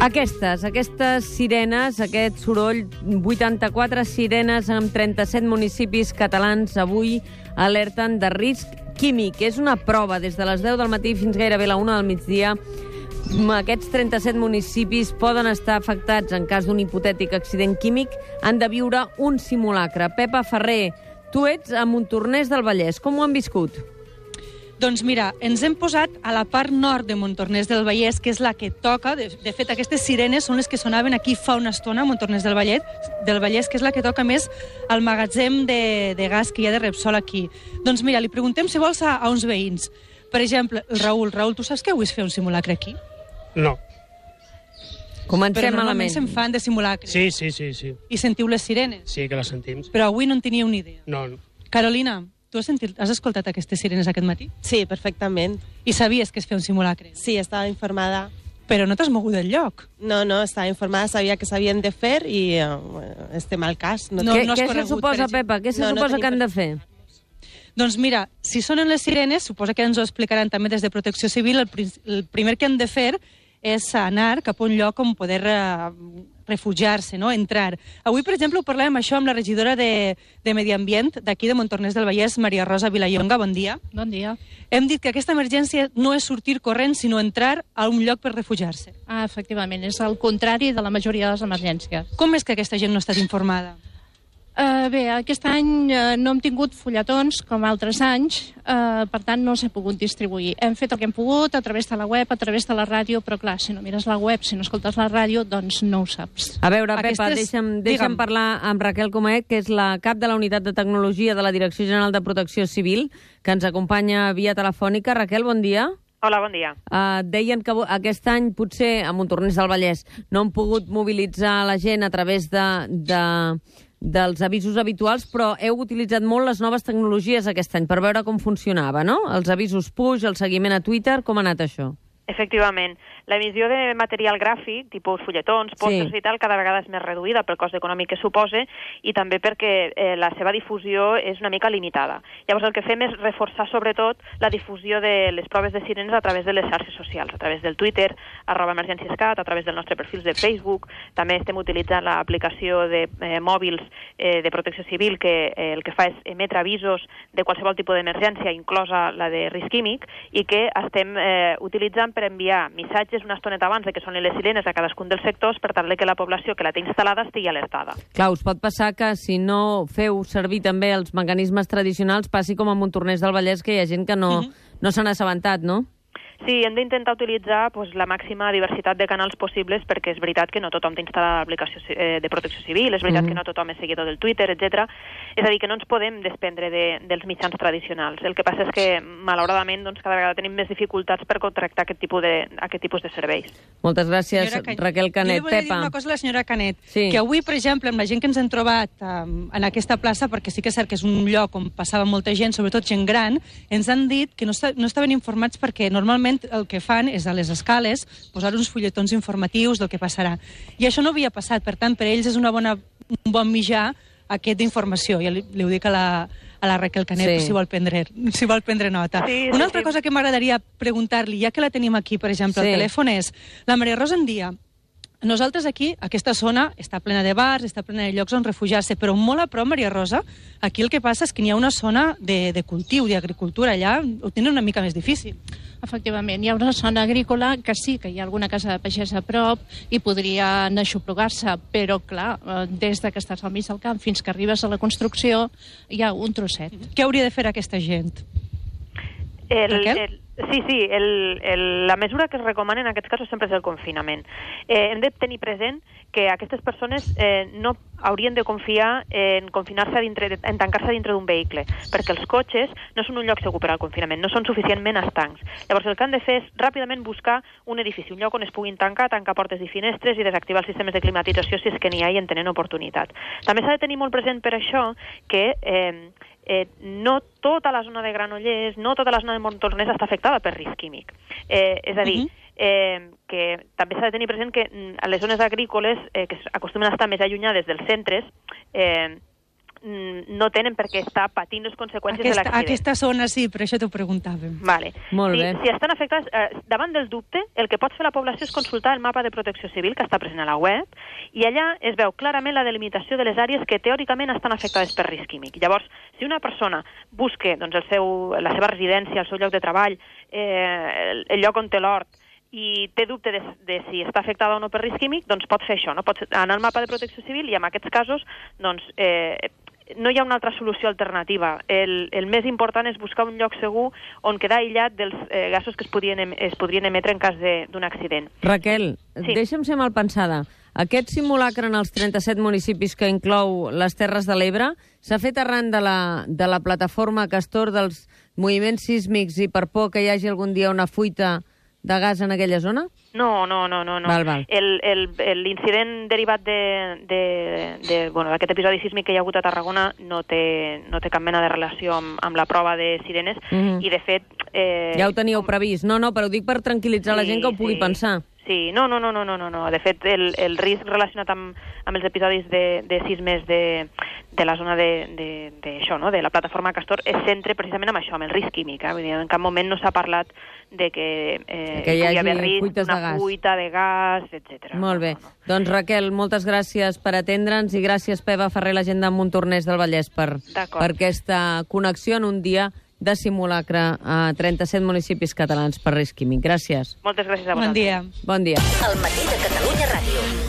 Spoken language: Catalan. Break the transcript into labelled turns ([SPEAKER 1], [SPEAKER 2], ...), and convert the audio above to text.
[SPEAKER 1] Aquestes sirenes, aquest soroll, 84 sirenes en 37 municipis catalans avui alerten de risc químic. És una prova des de les 10 del matí fins gairebé la 1 del migdia. Aquests 37 municipis poden estar afectats en cas d'un hipotètic accident químic. Han de viure un simulacre. Pepa Ferrer, tu ets a Montornès del Vallès. Com ho han viscut?
[SPEAKER 2] Doncs mira, ens hem posat a la part nord de Montornès del Vallès, que és la que toca. De fet, aquestes sirenes són les que sonaven aquí fa una estona, a Montornès del Vallès, que és la que toca més al magatzem de gas que hi ha de Repsol aquí. Doncs mira, li preguntem si vols a uns veïns. Per exemple, el Raül. Raül, tu saps que avui es fer un simulacre aquí?
[SPEAKER 3] No.
[SPEAKER 1] Comencem
[SPEAKER 2] Però normalment
[SPEAKER 1] malament.
[SPEAKER 2] se'n fan de simulacres.
[SPEAKER 3] Sí.
[SPEAKER 2] I sentiu les sirenes?
[SPEAKER 3] Sí, que les sentim.
[SPEAKER 2] Però avui no en teníeu ni idea.
[SPEAKER 3] No.
[SPEAKER 2] Carolina, tu has escoltat aquestes sirenes aquest matí?
[SPEAKER 4] Sí, perfectament.
[SPEAKER 2] I sabies que es feia un simulacre?
[SPEAKER 4] Sí, estava informada.
[SPEAKER 2] Però no t'has mogut del lloc.
[SPEAKER 4] No, estava informada, sabia que s'havien de fer i estem al cas.
[SPEAKER 2] No,
[SPEAKER 1] Què
[SPEAKER 2] has
[SPEAKER 1] se
[SPEAKER 2] corregut,
[SPEAKER 1] suposa,
[SPEAKER 2] per exemple.
[SPEAKER 1] Pepa? Què se
[SPEAKER 4] No, no
[SPEAKER 1] suposa
[SPEAKER 4] tenim
[SPEAKER 1] que han de fer?
[SPEAKER 2] Doncs mira, si sonen les sirenes, suposa que ens ho explicaran també des de Protecció Civil, el primer que han de fer és anar cap a un lloc on poder refugiar-se, no? Entrar. Avui, per exemple, ho parlàvem això amb la regidora de Medi Ambient d'aquí de Montornès del Vallès, Maria Rosa Vilallonga. Bon dia.
[SPEAKER 5] Bon dia.
[SPEAKER 2] Hem dit que aquesta emergència no és sortir corrent, sinó entrar a un lloc per refugiar-se.
[SPEAKER 5] Efectivament, és el contrari de la majoria de les emergències.
[SPEAKER 2] Com és que aquesta gent no ha estat informada?
[SPEAKER 5] Bé, aquest any no hem tingut fulletons com altres anys, per tant no s'ha pogut distribuir. Hem fet el que hem pogut a través de la web, a través de la ràdio, però clar, si no mires la web, si no escoltes la ràdio, doncs no ho saps.
[SPEAKER 1] A veure, Pepa,
[SPEAKER 2] Aquestes-
[SPEAKER 1] deixa'm
[SPEAKER 2] Digue'm.
[SPEAKER 1] parlar amb Raquel Comaet, que és la cap de la Unitat de Tecnologia de la Direcció General de Protecció Civil, que ens acompanya via telefònica. Raquel, bon dia.
[SPEAKER 6] Hola, bon dia.
[SPEAKER 1] Deien que aquest any potser a Montornès del Vallès no han pogut mobilitzar la gent a través dels avisos habituals, però heu utilitzat molt les noves tecnologies aquest any per veure com funcionava, no? Els avisos push, el seguiment a Twitter, com ha anat això?
[SPEAKER 6] Efectivament, l'emissió de material gràfic, tipus fulletons, pòsters i tal, cada vegada és més reduïda pel cost econòmic que suposa i també perquè la seva difusió és una mica limitada. Llavors el que fem és reforçar sobretot la difusió de les proves de sirenes a través de les xarxes socials, a través del Twitter, @emergènciescat, a través dels nostres perfils de Facebook. També estem utilitzant l'aplicació de mòbils de Protecció Civil que el que fa és emetre avisos de qualsevol tipus d'emergència, inclosa la de risc químic, i que estem utilitzant per enviar missatges una estoneta abans de que sonin les sirenes a cadascun dels sectors per tal que la població que la té instal·lada estigui alertada.
[SPEAKER 1] Clar, us pot passar que si no feu servir també els mecanismes tradicionals passi com a Montornès del Vallès, que hi ha gent que no se n'ha assabentat, no?
[SPEAKER 6] Sí, hem d'intentar utilitzar la màxima diversitat de canals possibles perquè és veritat que no tothom té instal·lada l'aplicació de Protecció Civil, és veritat que no tothom és seguidor del Twitter, etc. És a dir, que no ens podem desprendre dels mitjans tradicionals. El que passa és que, malauradament, cada vegada tenim més dificultats per contractar aquest tipus de serveis.
[SPEAKER 1] Moltes gràcies, Raquel Canet.
[SPEAKER 2] Jo li volia dir
[SPEAKER 1] Pepa.
[SPEAKER 2] una cosa a la senyora Canet,
[SPEAKER 1] Sí.
[SPEAKER 2] que avui, per exemple, amb la gent que ens hem trobat en aquesta plaça, perquè sí que és cert que és un lloc on passava molta gent, sobretot gent gran, ens han dit que no estaven informats perquè normalment el que fan és a les escales posar uns fulletons informatius del que passarà. I això no havia passat, per tant, per ells és un bon mitjà aquest d'informació. Ja li ho dic a la Raquel Canet, si vol prendre nota.
[SPEAKER 6] Sí,
[SPEAKER 2] Una altra cosa que m'agradaria preguntar-li, ja que la tenim aquí, per exemple, al telèfon és, la Maria Rosa en dia, nosaltres aquí, aquesta zona, està plena de bars, està plena de llocs on refugiar-se, però molt a prop, Maria Rosa, aquí el que passa és que n'hi ha una zona de cultiu, d'agricultura, allà ho tenen una mica més difícil.
[SPEAKER 5] Efectivament, hi ha una zona agrícola que sí que hi ha alguna casa de pagès a prop i podrien aixoplugar-se, però clar, des que estàs al mig del camp fins que arribes a la construcció hi ha un trosset.
[SPEAKER 2] Què hauria de fer aquesta gent? Raquel?
[SPEAKER 6] Sí, la mesura que es recomana en aquests casos sempre és el confinament. Hem de tenir present que aquestes persones no haurien de confiar en confinar-se en tancar-se dintre d'un vehicle, perquè els cotxes no són un lloc segur per al confinament, no són suficientment estancs. Llavors el que han de fer és ràpidament buscar un edifici, un lloc on es puguin tancar portes i finestres i desactivar els sistemes de climatització si és que n'hi ha i en tenen oportunitat. També s'ha de tenir molt present per això que no tota la zona de Granollers, no tota la zona de Montornès està afectada per risc químic. És a dir, que també s'ha de tenir present que a les zones agrícoles, que acostumen a estar més allunyades dels centres, no tenen per què estar patint les conseqüències de l'accident.
[SPEAKER 2] Aquesta zona sí, per això t'ho preguntàvem.
[SPEAKER 6] Vale.
[SPEAKER 1] Molt bé.
[SPEAKER 6] Si estan afectats, davant del dubte, el que pot fer la població és consultar el mapa de protecció civil que està present a la web, i allà es veu clarament la delimitació de les àrees que teòricament estan afectades per risc químic. Llavors, si una persona busca doncs, la seva residència, el seu lloc de treball, el lloc on té l'hort, i té dubte de si està afectada o no per risc químic, doncs pot fer això, no? Pot anar al mapa de protecció civil i en aquests casos doncs, no hi ha una altra solució alternativa. El més important és buscar un lloc segur on quedar aïllat dels gasos que es podrien emetre en cas d'un accident.
[SPEAKER 1] Raquel,
[SPEAKER 6] Sí.
[SPEAKER 1] deixa'm ser mal pensada. Aquest simulacre en els 37 municipis que inclou les Terres de l'Ebre s'ha fet arran de la plataforma Castor dels moviments sísmics i per por que hi hagi algun dia una fuita de gas en aquella zona?
[SPEAKER 6] No.
[SPEAKER 1] Val.
[SPEAKER 6] L'incident derivat d'aquest episodi sísmic que hi ha hagut a Tarragona no té cap mena de relació amb la prova de sirenes i, de fet...
[SPEAKER 1] Ja ho teníeu previst. No, però ho dic per tranquil·litzar la gent que ho pugui pensar.
[SPEAKER 6] Sí, no. De fet, el risc relacionat amb els episodis de sismes de la zona d'això, no? De la plataforma Castor, es centra precisament en això, amb el risc químic. Vull dir, en cap moment no s'ha parlat de que
[SPEAKER 1] hi hagi
[SPEAKER 6] haver risc,
[SPEAKER 1] fuites de gas.
[SPEAKER 6] fuita de gas, etc.
[SPEAKER 1] Molt bé. Doncs, Raquel, moltes gràcies per atendre'ns i gràcies, Peva Ferrer, l'agent de Montornès del Vallès, per aquesta connexió en un dia de simulacre a 37 municipis catalans per risc químic. Gràcies.
[SPEAKER 6] Moltes gràcies a vosaltres.
[SPEAKER 2] Bon dia.
[SPEAKER 1] Bon dia.
[SPEAKER 3] El matí de Catalunya Ràdio.